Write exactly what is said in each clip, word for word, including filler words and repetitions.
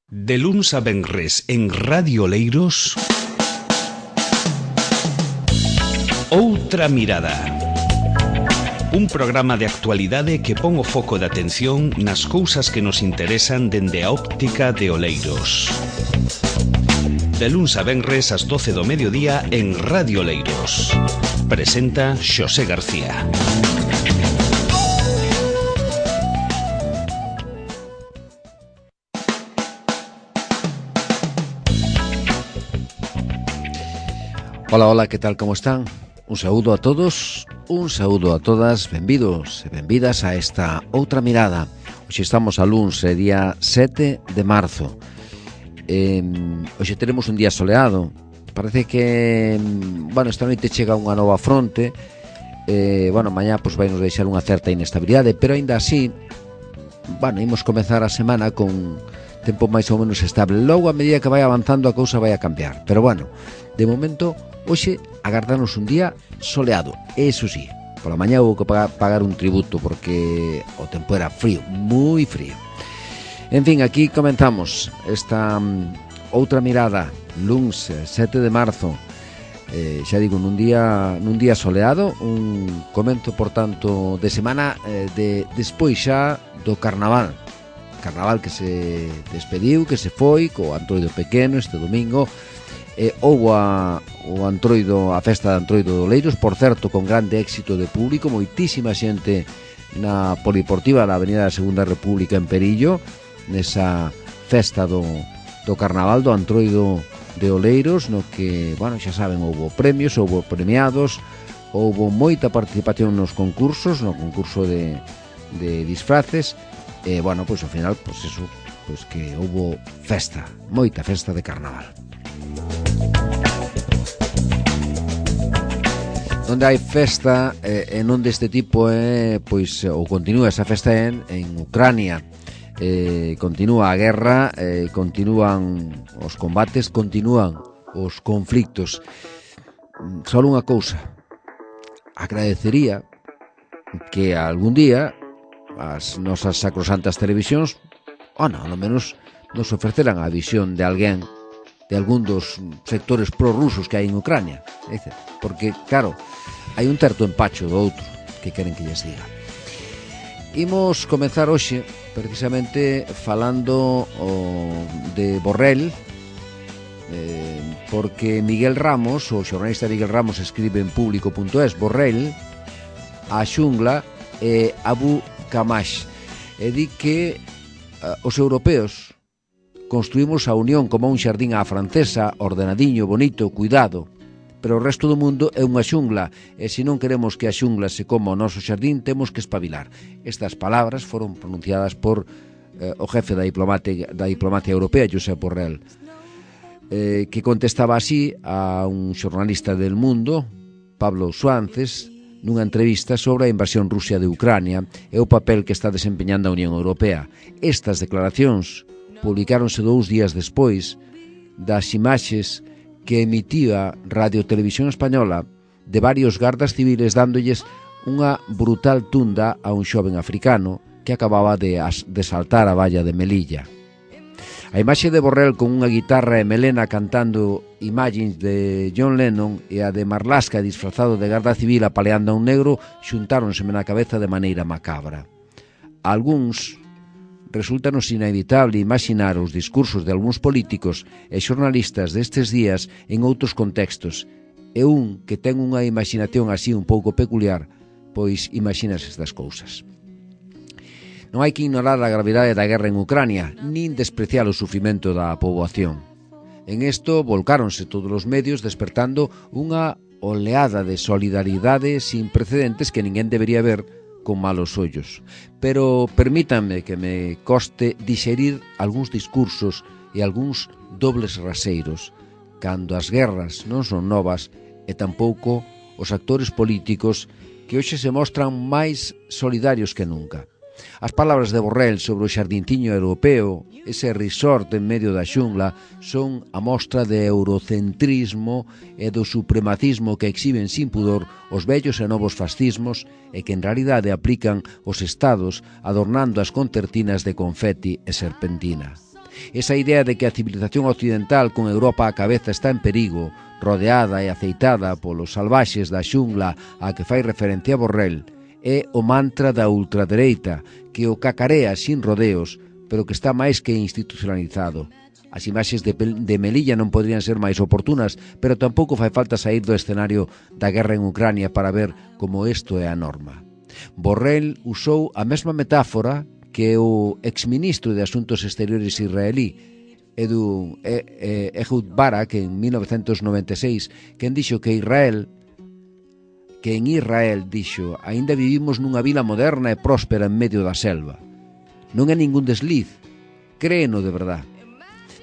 De luns a venres en Radio Oleiros, Outra Mirada. Un programa de actualidade que pon o foco de atención nas cousas que nos interesan dende a óptica de Oleiros. De luns a venres ás doce do mediodía en Radio Oleiros. Presenta Xosé García. Ola, ola, que tal, como están? Un saúdo a todos, un saúdo a todas, benvidos e benvidas a esta Outra Mirada. Hoxe estamos a luns, é día sete de marzo. eh, Hoxe teremos un día soleado. Parece que, bueno, esta noite chega unha nova fronte. eh, Bueno, mañá pois vai nos deixar unha certa inestabilidade, pero aínda así, bueno, imos comezar a semana con tempo máis ou menos estable. Logo, a medida que vai avanzando, a cousa vai a cambiar. Pero bueno, de momento, hoxe agardarnos un día soleado. Eso sí, pola mañá houve que pagar, pagar un tributo porque o tempo era frío, moi frío. En fin, aquí comenzamos esta um, Outra Mirada, luns sete de marzo. eh, Xa digo, nun día, nun día soleado. Un comento, por tanto, de semana eh, de despois xa do Carnaval. Carnaval que se despediu, que se foi co Antroido Pequeno este domingo. Eh, houbo a, o Antroido, a festa de Antroido de Oleiros, por certo, con grande éxito de público, moitísima xente na polideportiva da Avenida da Segunda República en Perillo, nesa festa do, do Carnaval do Antroido de Oleiros, no que, bueno, xa saben, houbo premios, houbo premiados, houbo moita participación nos concursos, no concurso de, de disfraces, e, bueno, pois ao final, pois eso, pois que houbo festa, moita festa de Carnaval. Onde hai festa eh, en onde este tipo é, eh, pois, ou continúa esa festa en, en Ucrania. Eh, continúa a guerra, eh, continúan os combates, continúan os conflictos. Só unha cousa, agradecería que algún día as nosas sacrosantas televisións, ou non, ao menos nos ofreceran a visión de alguén, de algún dos sectores prorrusos que hai en Ucrania. Porque, claro, hai un certo empacho do outro que queren que lles diga. Imos comenzar hoxe precisamente falando o, de Borrell, eh, porque Miguel Ramos, o xornalista Miguel Ramos, escribe en público punto es: Borrell, a xungla e Abu Kamash, e di que uh, os europeos construímos a Unión como un xardín á francesa, ordenadiño, bonito, cuidado, pero o resto do mundo é unha xungla, e se non queremos que a xungla se coma o noso xardín, temos que espabilar. Estas palabras foron pronunciadas por eh, o jefe da diplomacia, da diplomacia europea, Josep Borrell, eh, que contestaba así a un xornalista del Mundo, Pablo Suances, nunha entrevista sobre a invasión rusa de Ucrania e o papel que está desempeñando a Unión Europea. Estas declaracións publicáronse dous días despois das imaxes que emitía Radio Televisión Española de varios gardas civiles dándolles unha brutal tunda a un xoven africano que acababa de, as, de saltar a valla de Melilla. A imaxe de Borrell con unha guitarra e melena cantando Imagines de John Lennon e a de Marlaska disfrazado de garda civil apaleando a un negro xuntáronseme na cabeza de maneira macabra. Algúns resultanos inevitable imaginar os discursos de algúns políticos e xornalistas destes días en outros contextos, e un que ten unha imaginación así un pouco peculiar, pois imaginas estas cousas. Non hai que ignorar a gravidade da guerra en Ucrania, nin despreciar o sufrimento da poboación. En isto volcáronse todos os medios despertando unha oleada de solidaridade sin precedentes que ninguén debería ver con malos ollos. Pero permítanme que me coste dixerir algúns discursos e algúns dobles raseiros, cando as guerras non son novas e tampouco os actores políticos que hoxe se mostran máis solidarios que nunca. As palabras de Borrell sobre o xardinciño europeo, ese resort en medio da xungla, son a mostra de eurocentrismo e do supremacismo que exhiben sin pudor os vellos e novos fascismos e que en realidade aplican os estados adornando as concertinas de confeti e serpentina. Esa idea de que a civilización occidental con Europa á cabeza está en perigo, rodeada e aceitada polos salvaxes da xungla a que fai referencia Borrell, é o mantra da ultradereita que o cacarea sin rodeos, pero que está máis que institucionalizado. As imaxes de, de Melilla non podrían ser máis oportunas, pero tampouco fai falta sair do escenario da guerra en Ucrania para ver como isto é a norma. Borrell usou a mesma metáfora que o exministro de Asuntos Exteriores israelí, Edu, eh, eh, Ehud Barak, en mil novecentos noventa e seis, quen dixo que Israel, que en Israel, dixo, aínda vivimos nunha vila moderna e próspera en medio da selva. Non é ningún desliz, créeno de verdad.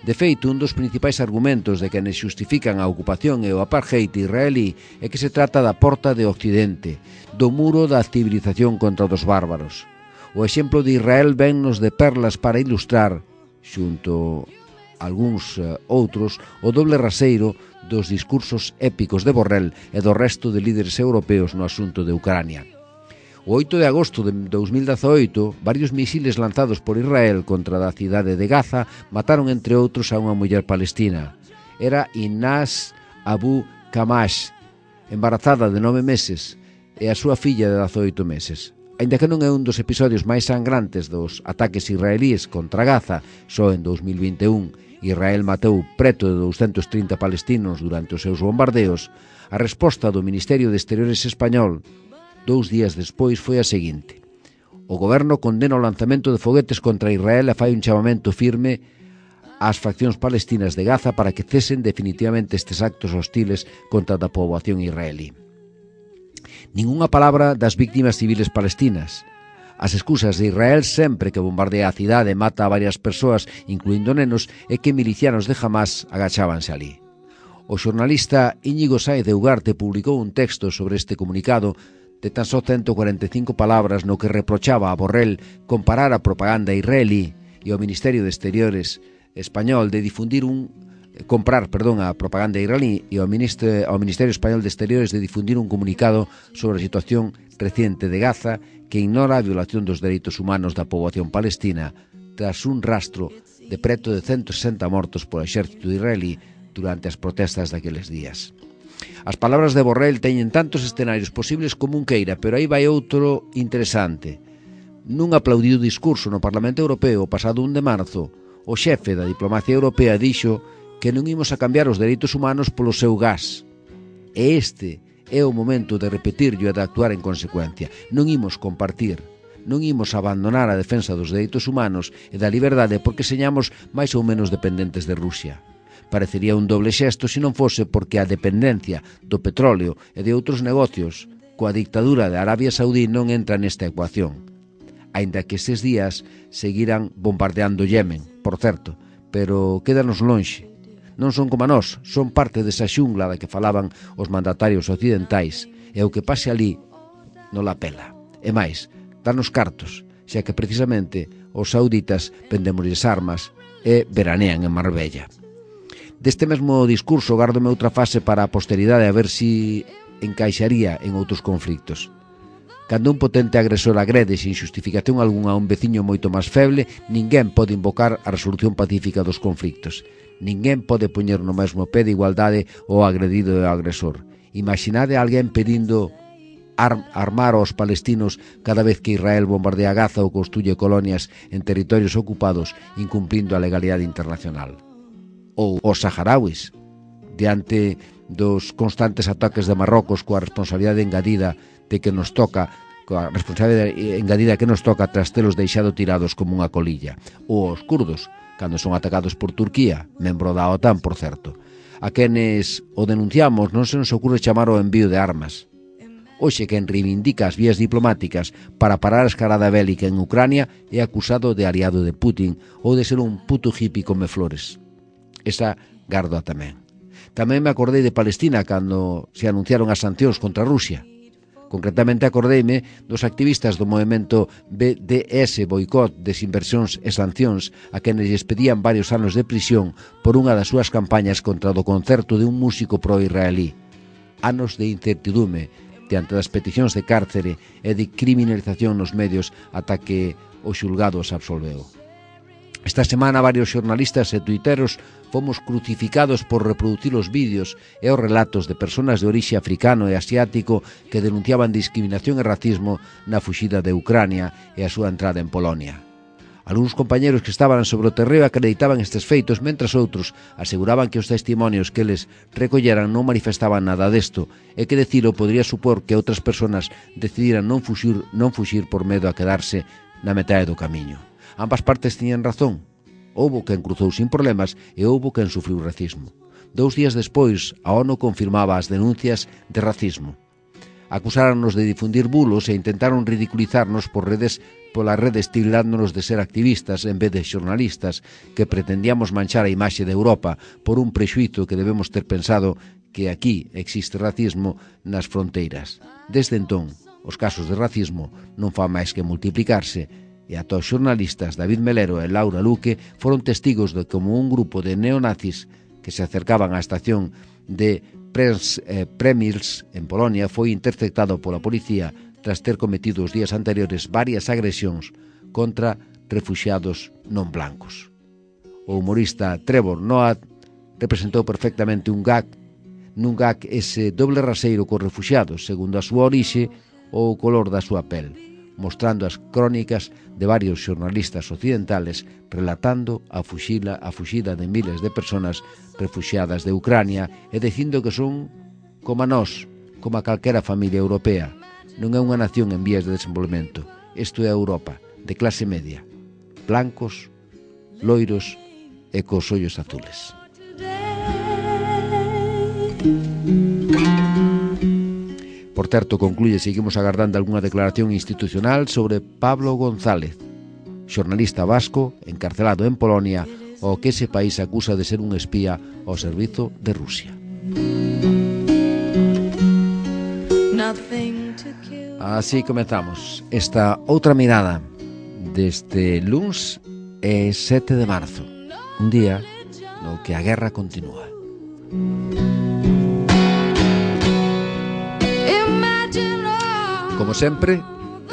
De feito, un dos principais argumentos de quenes xustifican a ocupación e o apartheid israelí é que se trata da porta de Occidente, do muro da civilización contra os bárbaros. O exemplo de Israel vennos de perlas para ilustrar, xunto a algúns uh, outros, o doble raseiro dos discursos épicos de Borrell e do resto de líderes europeos no asunto de Ucrania. O oito de agosto de dos mil dezaoito, varios misiles lanzados por Israel contra a cidade de Gaza mataron, entre outros, a unha muller palestina. Era Inaz Abu Kamash, embarazada de nove meses, e a súa filla de dezaoito meses. Aínda que non é un dos episodios máis sangrantes dos ataques israelíes contra Gaza, só en dos mil vinte e un Israel matou preto de douscentos trinta palestinos durante os seus bombardeos, a resposta do Ministerio de Exteriores español dous días despois foi a seguinte. O goberno condena o lanzamento de foguetes contra Israel e fai un chamamento firme ás faccións palestinas de Gaza para que cesen definitivamente estes actos hostiles contra a poboación israelí. Ningunha palabra das víctimas civiles palestinas. As excusas de Israel sempre que bombardea a cidade e mata a varias persoas, incluindo nenos, é que milicianos de Hamás agachábanse ali. O xornalista Íñigo Sáez de Ugarte publicou un texto sobre este comunicado de tan só ciento cuarenta e cinco palabras no que reprochaba a Borrell comparar a propaganda israelí e o Ministerio de Exteriores español de difundir un comprar, perdón, a propaganda israelí e ao Ministerio, ao Ministerio Español de Exteriores de difundir un comunicado sobre a situación reciente de Gaza que ignora a violación dos dereitos humanos da poboación palestina tras un rastro de preto de ciento sesenta mortos polo exército israelí durante as protestas daqueles días. As palabras de Borrell teñen tantos escenarios posibles como un queira, pero aí vai outro interesante. Nun aplaudido discurso no Parlamento Europeo o pasado un de marzo, o xefe da diplomacia europea dixo que non imos a cambiar os dereitos humanos polo seu gas. E este é o momento de repetirlo e de actuar en consecuencia. Non imos compartir, non imos abandonar a defensa dos dereitos humanos e da liberdade porque señamos máis ou menos dependentes de Rusia. Parecería un doble xesto se non fose porque a dependencia do petróleo e de outros negocios coa dictadura de Arabia Saudí non entra nesta ecuación. Aínda que estes días seguirán bombardeando Yemen, por certo, pero quédanos lonxe. Non son como a nós, son parte desa xungla da que falaban os mandatarios occidentais e o que pase ali non la pela. E máis, danos cartos, xa que precisamente os sauditas vendemosles armas e veranean en Marbella. Deste mesmo discurso gárdome outra fase para a posteridade a ver si encaixaría en outros conflictos. Cando un potente agresor agrede sin xustificación algunha a un veciño moito máis feble, ninguén pode invocar a resolución pacífica dos conflictos. Ninguén pode poñer no mesmo pé de igualdade o agredido e o agresor. Imaginade a alguén pedindo ar armar aos palestinos cada vez que Israel bombardea Gaza ou construye colonias en territorios ocupados incumplindo a legalidade internacional. Ou os saharauis, diante dos constantes ataques de Marrocos coa responsabilidade engadida de que nos toca coa responsabilidade engadida que nos toca tras telos deixado tirados como unha colilla. Ou os kurdos, cando son atacados por Turquía, membro da OTAN, por certo. A quenes o denunciamos non se nos ocurre chamar o envío de armas. Hoxe quen reivindica as vías diplomáticas para parar a escalada bélica en Ucrania é acusado de aliado de Putin ou de ser un puto hippie come flores. Esa gardoa tamén. Tamén me acordei de Palestina cando se anunciaron as sancións contra Rusia. Concretamente acordeime dos activistas do movemento B D S, Boicot, Desinversións e Sancións, a quenes lles pedían varios anos de prisión por unha das súas campañas contra o concerto de un músico pro-israelí. Anos de incertidume diante das peticións de cárcere e de criminalización nos medios ata que o xulgado os absolveu. Esta semana varios xornalistas e tuiteros fomos crucificados por reproducir os vídeos e os relatos de persoas de orixe africano e asiático que denunciaban discriminación e racismo na fuxida de Ucrania e a súa entrada en Polonia. Algúns compañeros que estaban sobre o terreo acreditaban estes feitos, mentras outros aseguraban que os testimonios que eles recolleran non manifestaban nada desto e que decilo podría supor que outras persoas decidiran non fuxir, non fuxir por medo a quedarse na metade do camiño. Ambas partes tiñan razón. Houbo quen cruzou sin problemas e houbo quen sufriu racismo. Dous días despois, a ONU confirmaba as denuncias de racismo. Acusáronnos de difundir bulos e intentaron ridiculizarnos por redes, polas redes tildándonos de ser activistas en vez de xornalistas que pretendíamos manchar a imaxe de Europa por un prexuízo que debemos ter pensado que aquí existe racismo nas fronteiras. Desde entón, os casos de racismo non fan máis que multiplicarse e ata os xornalistas David Melero e Laura Luque foron testigos de como un grupo de neonazis que se acercaban á estación de Pres, eh, Premils en Polonia foi interceptado pola policía tras ter cometido os días anteriores varias agresións contra refuxiados non blancos. O humorista Trevor Noah representou perfectamente un gag nun gag ese doble raseiro cos refuxiados segundo a súa orixe ou o color da súa pel, mostrando as crónicas de varios xornalistas occidentales relatando a fuxila, a fuxida de miles de persoas refuxiadas de Ucrania e dicindo que son como a nós, como a calquera familia europea. Non é unha nación en vías de desenvolvemento. Isto é a Europa, de clase media, blancos, loiros e cos ollos azules. Por certo, concluye, seguimos agardando algunha declaración institucional sobre Pablo González, xornalista vasco encarcelado en Polonia, ao que ese país acusa de ser un espía ao servizo de Rusia. Así comezamos esta outra mirada deste luns e sete de marzo, un día no que a guerra continúa. Como sempre,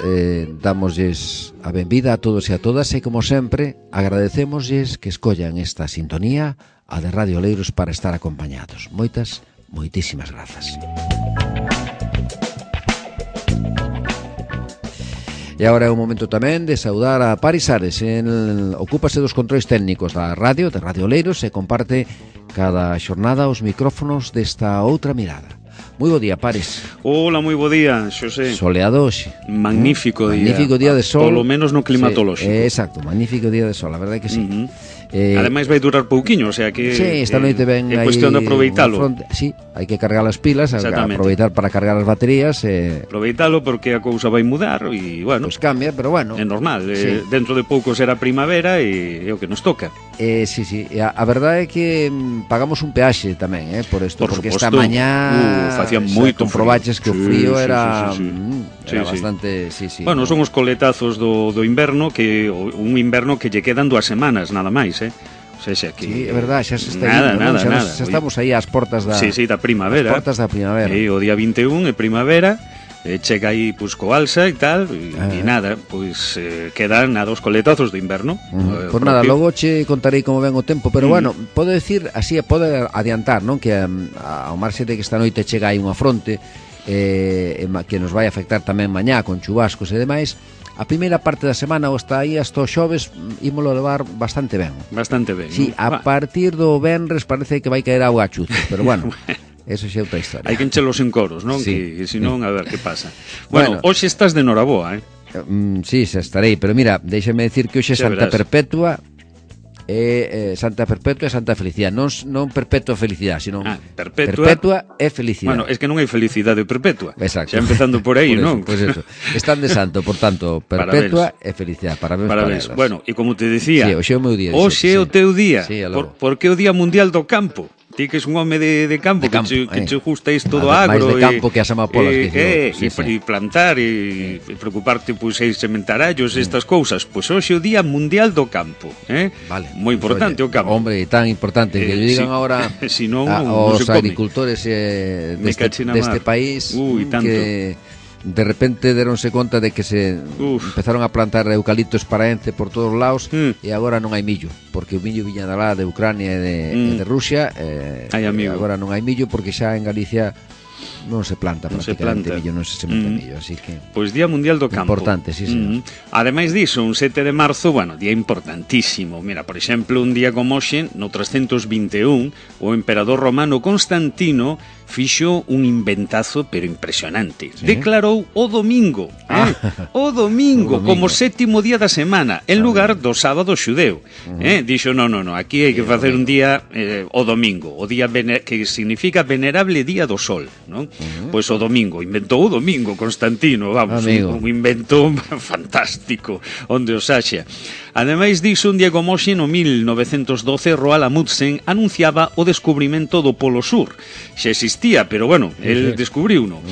eh, damosles a benvida a todos e a todas e, como sempre, agradecemosles que escollan esta sintonía, a de Radio Oleiros, para estar acompañados. Moitas, moitísimas grazas. E agora é o momento tamén de saudar a Paris Ares. En, ocúpase dos controis técnicos da radio, de Radio Oleiros, e comparte cada xornada os micrófonos desta outra mirada. Moi bo día, Pares. Hola, moi bo día, Xosé. Soleado hoxe. Magnífico día. Magnífico día de sol. Polo menos no climatolóxico. Sí, exacto, magnífico día de sol, a verdade é que sí. Uh-huh. Eh, Ademais vai durar pouquiño, o sea que sí, esta noite ven é cuestión de aproveitalo. Fronte, sí, hai que cargar as pilas, aproveitar para cargar as baterías e... aproveitalo porque a cousa vai mudar e, bueno, pues cambia, pero bueno, é normal, sí. eh, dentro de pouco será primavera e é o que nos toca. Eh, sí, sí, a, a verdade é que mm, pagamos un peaxe tamén, eh, por isto, por porque suposto, esta mañá uh, facía moito comprobaches que o frío sí, era, sí, sí, sí. Mm, sí, era sí. bastante, sí, sí. Bueno, no? son os coletazos do, do inverno, que un inverno que lle quedan dúas semanas, nada máis, eh? O sea, xa que... Sí, é verdade, xa se está nada, indo, nada, xa, nada. xa estamos aí ás portas da... Sí, sí, da primavera. As portas da primavera. E o día vinte e un é primavera, e chega aí pues, co alza e tal, e, ah. e nada, pois eh, quedan nada os coletazos do inverno. Uh-huh. Eh, pois nada, logo che contarei como ven o tempo, pero uh-huh. bueno, podo decir, así pode adiantar, non, que um, ao marxe de que esta noite chega aí unha fronte eh, que nos vai afectar tamén mañá con chubascos e demais. A primeira parte da semana, ou está aí hasta os xoves, ímolo levar bastante ben. Bastante ben. Sí, ¿no? A partir do venres parece que vai caer auga a chuzo, pero bueno, eso xa é outra historia. Hai que enchelos en coros, non? Sí. Que, que senón, a ver que pasa. Bueno, bueno, hoxe estás de noraboa, eh? Mm, sí, xa estarei, pero mira, déxame decir que hoxe é Santa Perpetua e eh, Santa Perpetua e Santa Felicidade, non, non Perpetua Felicidade, sino ah, perpetua, perpetua e Felicidade. Bueno, es que non hai felicidade perpetua. Exacto. Xa empezando por aí, por non? Pois pues eso. Están de santo, por tanto, Perpetua e Felicidade. Parabéns, Parabéns. para elas. Bueno, e como te decía, sí, hoxe é o meu día. Hoxe é o teu día. Sí, por, porque é o Día Mundial do Campo. Ti que es un home de, de campo, de campo que, che, eh. que che gusta isto do a ver, agro máis de campo e, que as amapolas e, que eh, sí, e, sí. e plantar e, e preocuparte pois pues, sementarallos e estas cousas. Pois pues, hoxe é o Día Mundial do Campo, eh? Vale. Moi importante Oye, o campo. Hombre, tan importante que eh, lle digan sí. ahora si non, a, non os se come. agricultores eh, deste, deste país Ui, tanto. que de repente deronse conta de que se Uf. empezaron a plantar eucaliptos paraense por todos os lados mm. e agora non hai millo, porque o millo viña de lá de Ucrania e de, mm. e de Rusia eh, e agora non hai millo porque xa en Galicia non se planta non prácticamente se planta. millo, non se sementa mm. millo, así que pois Día Mundial do Campo. Importante, sí, señor. Mm. Ademais diso, un sete de marzo, bueno, día importantísimo. Mira, por exemplo, un día como hoxe, no trescentos vinte e un, o emperador romano Constantino fixo un inventazo pero impresionante. ¿Sí? Declarou o domingo, ah. eh? o domingo, o domingo como sétimo día da semana, en lugar do sábado xudeu. Uh-huh. Eh? Dixo, no, no, no, aquí hai que facer un día eh, o domingo, o día que significa venerable día do sol, non? Uh-huh. Pois o domingo, inventou o domingo Constantino, vamos, un, un invento fantástico, onde os haxa. Ademais diso, un día como hoxe, no mil novecentos doce, Roald Amundsen anunciaba o descubrimento do Polo Sur. Xa existía, pero bueno, el descubriu uno.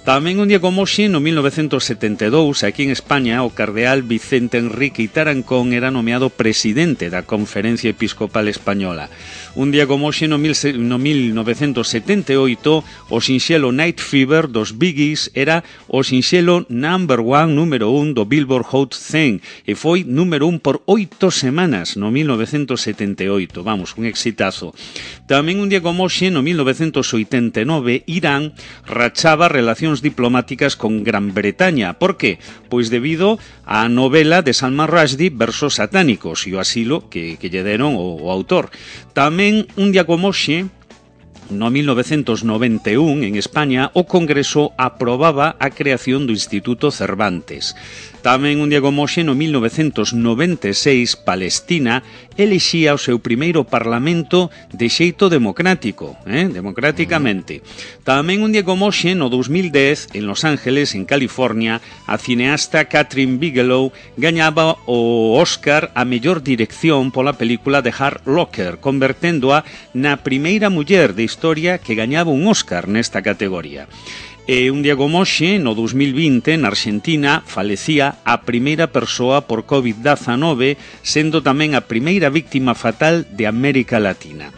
Tamén un día como hoxe, no mil novecentos setenta e dous, aquí en España, o cardeal Vicente Enrique Tarancón era nomeado presidente da Conferencia Episcopal Española. Un día como hoxe, no, mil, no mil novecentos setenta e oito, o sinxelo Night Fever dos Bee Gees era o sinxelo number one, número un do Billboard Hot cen e foi número un por oito semanas no mil novecentos setenta e oito. Vamos, un exitazo. Tamén un día como hoxe, no mil novecentos oitenta e nove, Irán rachaba relacións diplomáticas con Gran Bretaña. Por que? Pois debido á novela de Salman Rushdie, Versos satánicos, e o asilo que, que lle deron o, o autor. Tamén un día como hoxe, no mil novecentos noventa e un, en España, o Congreso aprobaba a creación do Instituto Cervantes. Tamén un día como hoxe, no mil novecentos noventa e seis, Palestina elexía o seu primeiro parlamento de xeito democrático, eh? democráticamente. Tamén un día como hoxe, no dos mil dez, en Los Ángeles, en California, a cineasta Catherine Bigelow gañaba o Oscar a mellor dirección pola película de Hurt Locker, converténdoa na primeira muller de historia que gañaba un Oscar nesta categoría. E un día como hoxe, no dos mil vinte, na Argentina, falecía a primeira persoa por covid dezanove, sendo tamén a primeira víctima fatal de América Latina.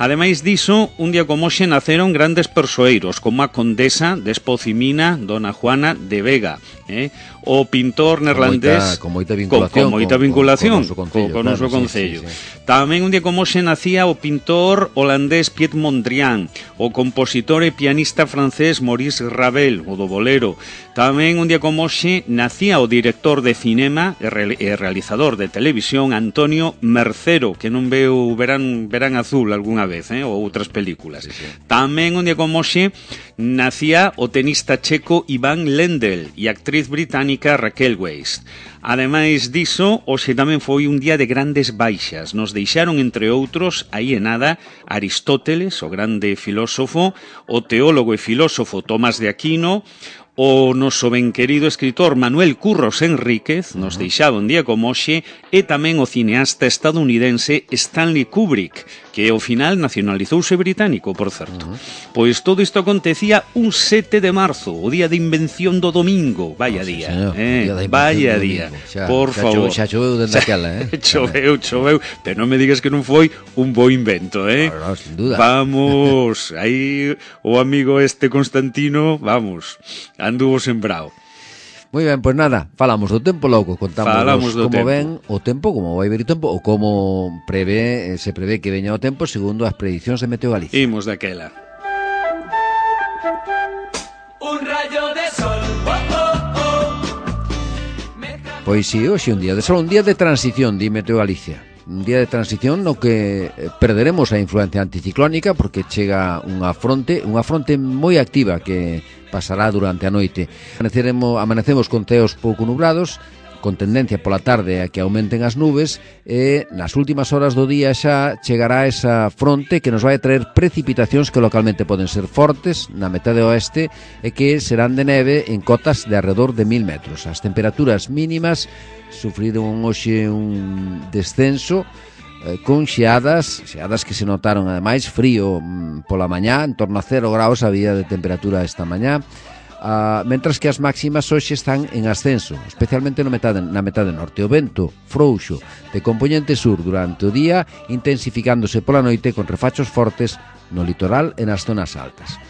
Ademais diso, un día como hoxe naceron grandes persoeiros, como a condesa de Espocimina, Dona Juana de Vega, eh? o pintor neerlandés con moita vinculación, con, con, moita vinculación con, con, con, con o noso concello. Sí, sí, sí. Tamén un día como hoxe nacía o pintor holandés Piet Mondrian, o compositor e pianista francés Maurice Ravel, o do bolero. Tamén un día como hoxe nacía o director de cinema e, re, e realizador de televisión Antonio Mercero, que non veu Verán, Verán Azul algunha vez, eh, ou outras películas. Sí, sí. Tamén un día como hoxe nacía o tenista checo Iván Lendl e a actriz británica Raquel Weisz. Ademais diso, hoxe tamén foi un día de grandes baixas. Nos deixaron, entre outros, aí e nada, Aristóteles, o grande filósofo, o teólogo e filósofo Tomás de Aquino, o noso ben querido escritor Manuel Curros Enríquez, nos deixaba un día como hoxe, e tamén o cineasta estadounidense Stanley Kubrick, que ao final nacionalizouse británico, por certo. Uh-huh. Pois todo isto acontecía un sete de marzo, o día de invención do domingo. Vaya oh, día, señor, eh, día vaya día, xa, por xa favor. Xa choveu dende aquela, eh? choveu, choveu, pero non me digas que non foi un bo invento, eh? No, no, sin duda. Vamos, aí o amigo este Constantino, vamos, anduvo sembrado. Moi ben, pois nada, falamos do tempo logo, contamos como tempo. ven o tempo, como vai vir o tempo, ou como prevé, se prevé que veña o tempo segundo as predicións de Meteo Galicia. Imos daquela. Un rayo de sol, oh, oh, oh. Pois si, hoxe un día de sol, un día de transición, di Meteo Galicia. Un día de transición no que perderemos a influencia anticiclónica porque chega unha fronte, unha fronte moi activa que pasará durante a noite. Amaneceremos, amanecemos con ceos pouco nublados, con tendencia pola tarde a que aumenten as nubes e nas últimas horas do día xa chegará esa fronte que nos vai a traer precipitacións que localmente poden ser fortes na metade oeste e que serán de neve en cotas de alrededor de mil metros. As temperaturas mínimas sufriron hoxe un descenso eh, con xeadas, xeadas que se notaron ademais frío mm, pola mañá, en torno a cero graus había de temperatura esta mañá. Uh, mentras que as máximas hoxe están en ascenso, especialmente no metade, na metade norte. O vento frouxo de compoñente sur durante o día, intensificándose pola noite con refachos fortes no litoral e nas zonas altas.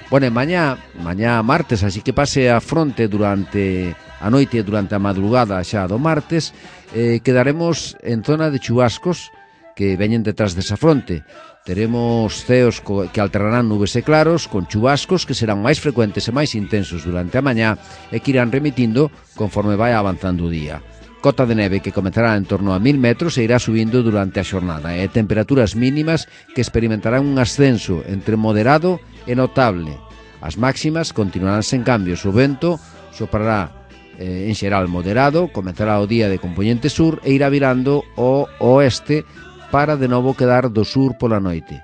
Bueno, mañá, mañá martes, así que pase a fronte durante a noite, durante a madrugada xa do martes, eh, quedaremos en zona de chubascos que veñen detrás desa fronte. Teremos ceos que alternarán nubes e claros con chubascos que serán máis frecuentes e máis intensos durante a mañá e que irán remitindo conforme vai avanzando o día. Cota de neve que comenzará en torno a mil metros e irá subindo durante a xornada e temperaturas mínimas que experimentarán un ascenso entre moderado e notable. As máximas continuarán sen cambios. O vento soprará eh, en xeral moderado, comenzará o día de compoñente sur e irá virando ao oeste para de novo quedar do sur pola noite.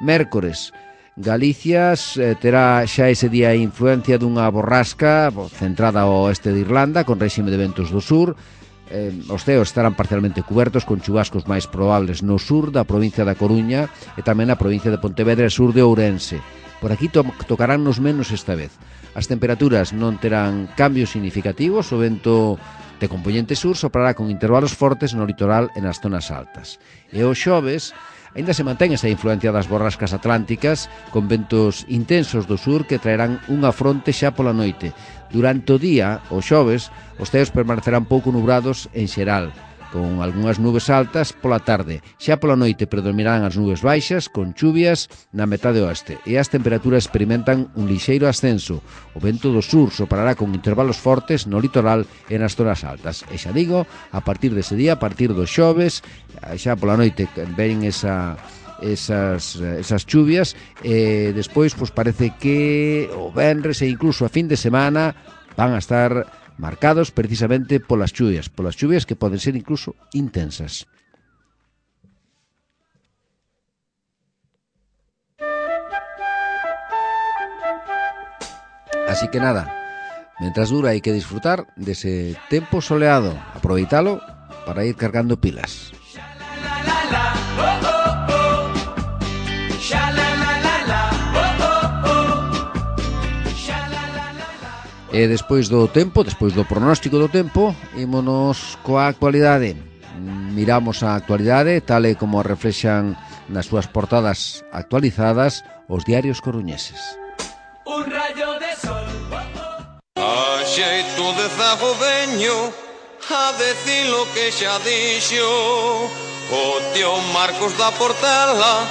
Mércores, Galicia eh, terá xa ese día a influencia dunha borrasca centrada ao oeste de Irlanda con réxime de ventos do sur. Eh, os ceos estarán parcialmente cubertos con chubascos máis probables no sur da provincia da Coruña e tamén na provincia de Pontevedra e sur de Ourense. Por aquí to tocarán nos menos esta vez. As temperaturas non terán cambios significativos, o vento de compoñente sur soprará con intervalos fortes no litoral e nas zonas altas. E o xoves aínda se mantén esa influencia das borrascas atlánticas con ventos intensos do sur que traerán unha fronte xa pola noite. Durante o día, o xoves, os ceos permanecerán pouco nubrados en xeral, con algunhas nubes altas pola tarde. Xa pola noite predominarán as nubes baixas, con chuvias na metade oeste, e as temperaturas experimentan un lixeiro ascenso. O vento do sur soprará con intervalos fortes no litoral e nas zonas altas. E xa digo, a partir dese día, a partir do xoves, xa pola noite ven esa... esas, esas chuvias e despois pois parece que o venres e incluso a fin de semana van a estar marcados precisamente polas chuvias, polas chuvias que poden ser incluso intensas. Así que nada, mentras dura hai que disfrutar dese tempo soleado, aproveitalo para ir cargando pilas. E despois do tempo, despois do pronóstico do tempo, ímonos coa actualidade. Miramos a actualidade tal e como reflexan nas súas portadas actualizadas os diarios coruñeses. Un rayo de sol. A xeito de zago veño a decir lo que xa dixo o tío Marcos da Portela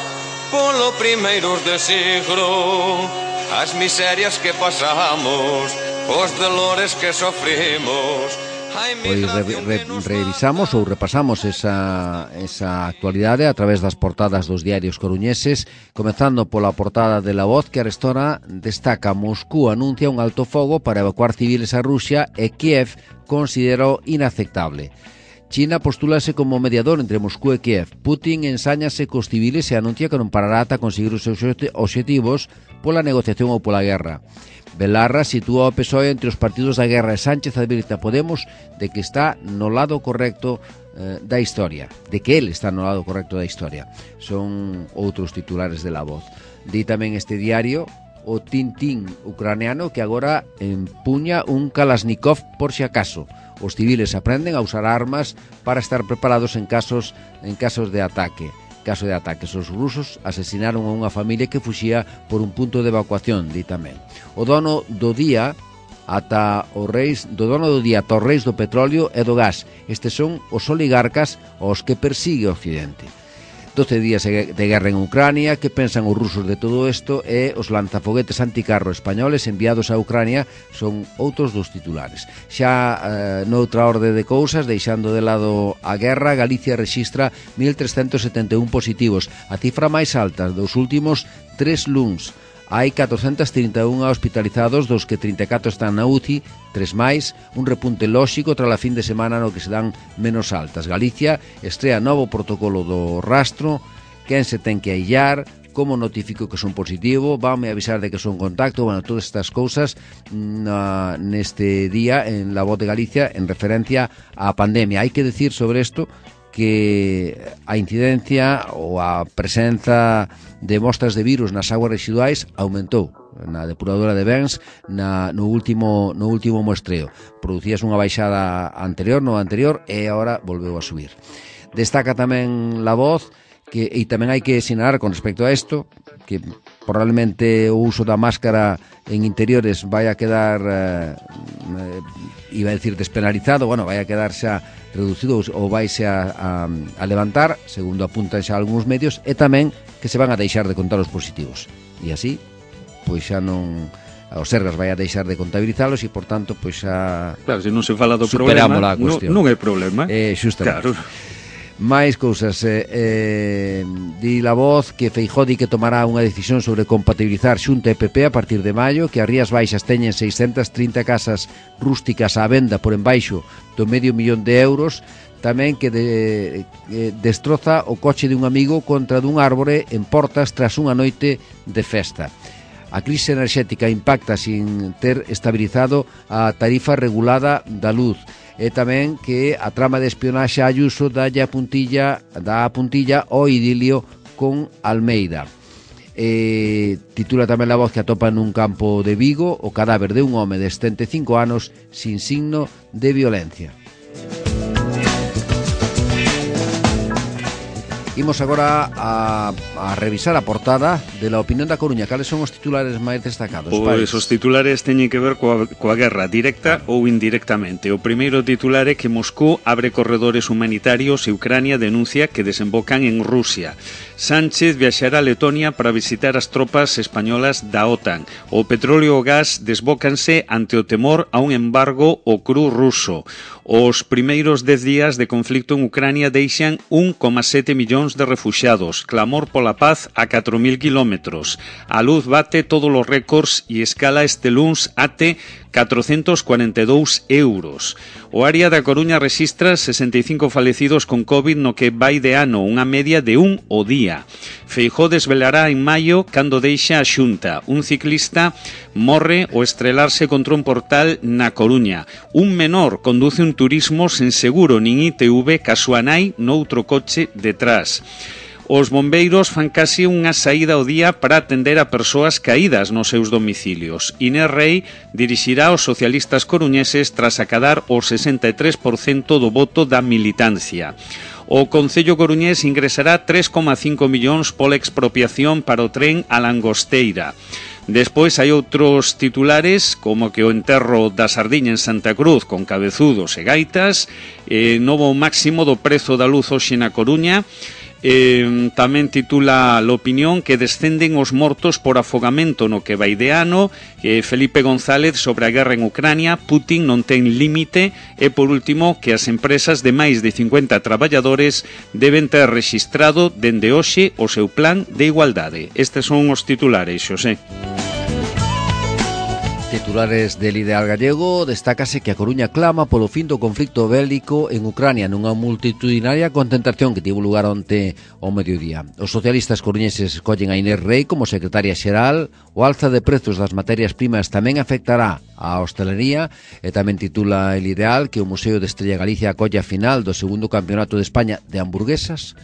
polo primeiros de siglo. As miserias que pasamos, os dolores que sofrimos. Pois re, re, revisamos ou repasamos esa, esa actualidade a través das portadas dos diarios coruñeses, comezando pola portada de La Voz, que arestora destaca: Moscú anuncia un alto fogo para evacuar civiles a Rusia e Kiev considerou inaceptable. China postúlase como mediador entre Moscú e Kiev. Putin ensáñase cos civiles e anuncia que non parará ata conseguir os seus obxectivos pola negociación ou pola guerra. Belarra sitúa o P S O E entre os partidos da guerra e Sánchez advirta a Podemos de que está no lado correcto eh, da historia, de que él está no lado correcto da historia. Son outros titulares de La Voz. Di tamén este diario o Tintín ucraniano que agora empuña un Kalashnikov por si acaso. Os civiles aprenden a usar armas para estar preparados en casos en casos de ataque. Caso de ataques, os rusos asesinaron a unha familia que fuxía por un punto de evacuación, di tamén. O dono do día ata os reis, do dono do día ata os reis do petróleo e do gas. Estes son os oligarcas aos que persigue o Occidente. doce días de guerra en Ucrania, que pensan os rusos de todo isto, e os lanzafoguetes anticarro españoles enviados a Ucrania son outros dos titulares. Xa eh, noutra orde de cousas, deixando de lado a guerra, Galicia rexistra mil trescentos setenta e un positivos, a cifra máis alta dos últimos tres luns. Hai catrocentos trinta e un hospitalizados, dos que trinta e catro están na U C I, tres máis, un repunte lóxico tras a fin de semana no que se dan menos altas. Galicia estrea novo protocolo do rastro, quen se ten que aillar, como notifico que son positivo, vanme avisar de que son contacto, bueno, todas estas cousas na, neste día en La Voz de Galicia en referencia á pandemia. Hai que decir sobre isto que a incidencia ou a presenza de mostras de virus nas aguas residuais aumentou na depuradora de Bens na, no, último, no último muestreo. Producías unha baixada anterior, no anterior, e agora volveu a subir. Destaca tamén La Voz que, e tamén hai que sinalar con respecto a isto, que probablemente o uso da máscara en interiores vai a quedar eh, eh, iba a decir despenalizado, bueno, vai a quedar xa reducido ou vaise a, a, a levantar, segundo apuntan xa algúns medios, e tamén que se van a deixar de contar os positivos, e así pois xa non os Sergas vai a deixar de contabilizalos e, por tanto, pois xa claro, se non se fala do problema, a cuestión. Non, non é problema. Eh, justamente. Claro. Máis cousas, eh, eh, di La Voz que Feijóo di que tomará unha decisión sobre compatibilizar Xunta e P P a partir de maio, que as Rías Baixas teñen seiscentas trinta casas rústicas á venda por embaixo do medio millón de euros, tamén que de, eh, destroza o coche de un amigo contra dun árbore en Portas tras unha noite de festa. A crise enerxética impacta sin ter estabilizado a tarifa regulada da luz. E tamén que a trama de espionaxe a Ayuso dalle a puntilla, dá a puntilla ao idilio con Almeida. E titula tamén La Voz que atopa nun campo de Vigo o cadáver de un home de setenta e cinco anos sin signo de violencia. Imos agora a, a revisar a portada de La Opinión da Coruña. Cales son os titulares máis destacados? Pois os titulares teñen que ver coa, coa guerra directa ou indirectamente. O primeiro titular é que Moscú abre corredores humanitarios e Ucrania denuncia que desembocan en Rusia. Sánchez viaxará a Letonia para visitar as tropas españolas da OTAN. O petróleo e o gas desbócanse ante o temor a un embargo ao cru ruso. Os primeiros dez días de conflicto en Ucrania deixan un coma sete millóns de refuxiados. Clamor pola paz a catro mil kilómetros. A luz bate todos os récords e escala este luns até catrocentos cuarenta e dous euros. O área da Coruña rexistra sesenta e cinco falecidos con COVID no que vai de ano, unha media de un o día. Feijóo desvelará en maio cando deixa a Xunta. Un ciclista morre ao estrelarse contra un portal na Coruña. Un menor conduce un turismo sen seguro nin I T V ca súa nai noutro coche detrás. Os bombeiros fan case unha saída ao día para atender a persoas caídas nos seus domicilios. Inés Rei dirixirá aos socialistas coruñeses tras acadar o sesenta e tres por cento do voto da militancia. O Concello coruñés ingresará tres coma cinco millóns pola expropiación para o tren a Langosteira. Despois hai outros titulares como que o enterro da sardiña en Santa Cruz con cabezudos e gaitas, eh, novo máximo do prezo da luz hoxe na Coruña. Eh, tamén titula La Opinión que descenden os mortos por afogamento no que vai de ano. eh, Felipe González sobre a guerra en Ucrania, Putin non ten límite. E por último que as empresas de máis de cincuenta traballadores deben ter rexistrado dende hoxe o seu plan de igualdade. Estes son os titulares, Xosé. Titulares del Ideal Gallego, destácase que a Coruña clama polo fin do conflicto bélico en Ucrania nunha multitudinaria concentración que tivo lugar onte ao mediodía. Os socialistas coruñeses escollen a Inés Rei como secretaria xeral. O alza de prezos das materias primas tamén afectará a hostelería. E tamén titula el Ideal que o Museo de Estrella Galicia acolle a final do segundo campeonato de España de hamburguesas,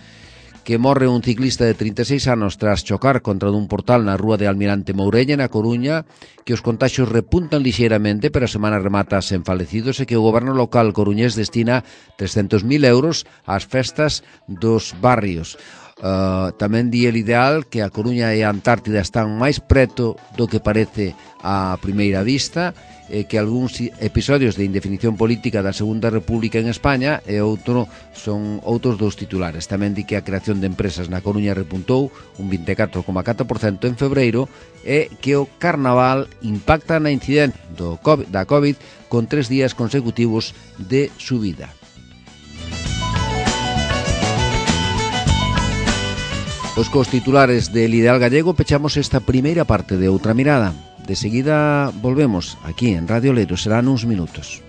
que morre un ciclista de trinta e seis anos tras chocar contra dun portal na rúa de Almirante Mourelle, na Coruña, que os contaxios repuntan lixeiramente, pero a semana remata sen falecidos, e que o goberno local coruñés destina trescentos mil euros ás festas dos barrios. Uh, tamén di el Ideal que a Coruña e a Antártida están máis preto do que parece a primeira vista, e que algúns episodios de indefinición política da Segunda República en España e outro son outros dos titulares. Tamén di que a creación de empresas na Coruña repuntou un vinte e catro coma catro por cento en febreiro e que o carnaval impacta na incidencia do COVID, da COVID con tres días consecutivos de subida. Pois cos titulares del Ideal Gallego pechamos esta primeira parte de Outra Mirada. De seguida volvemos aquí en Radio Leiro, serán uns minutos.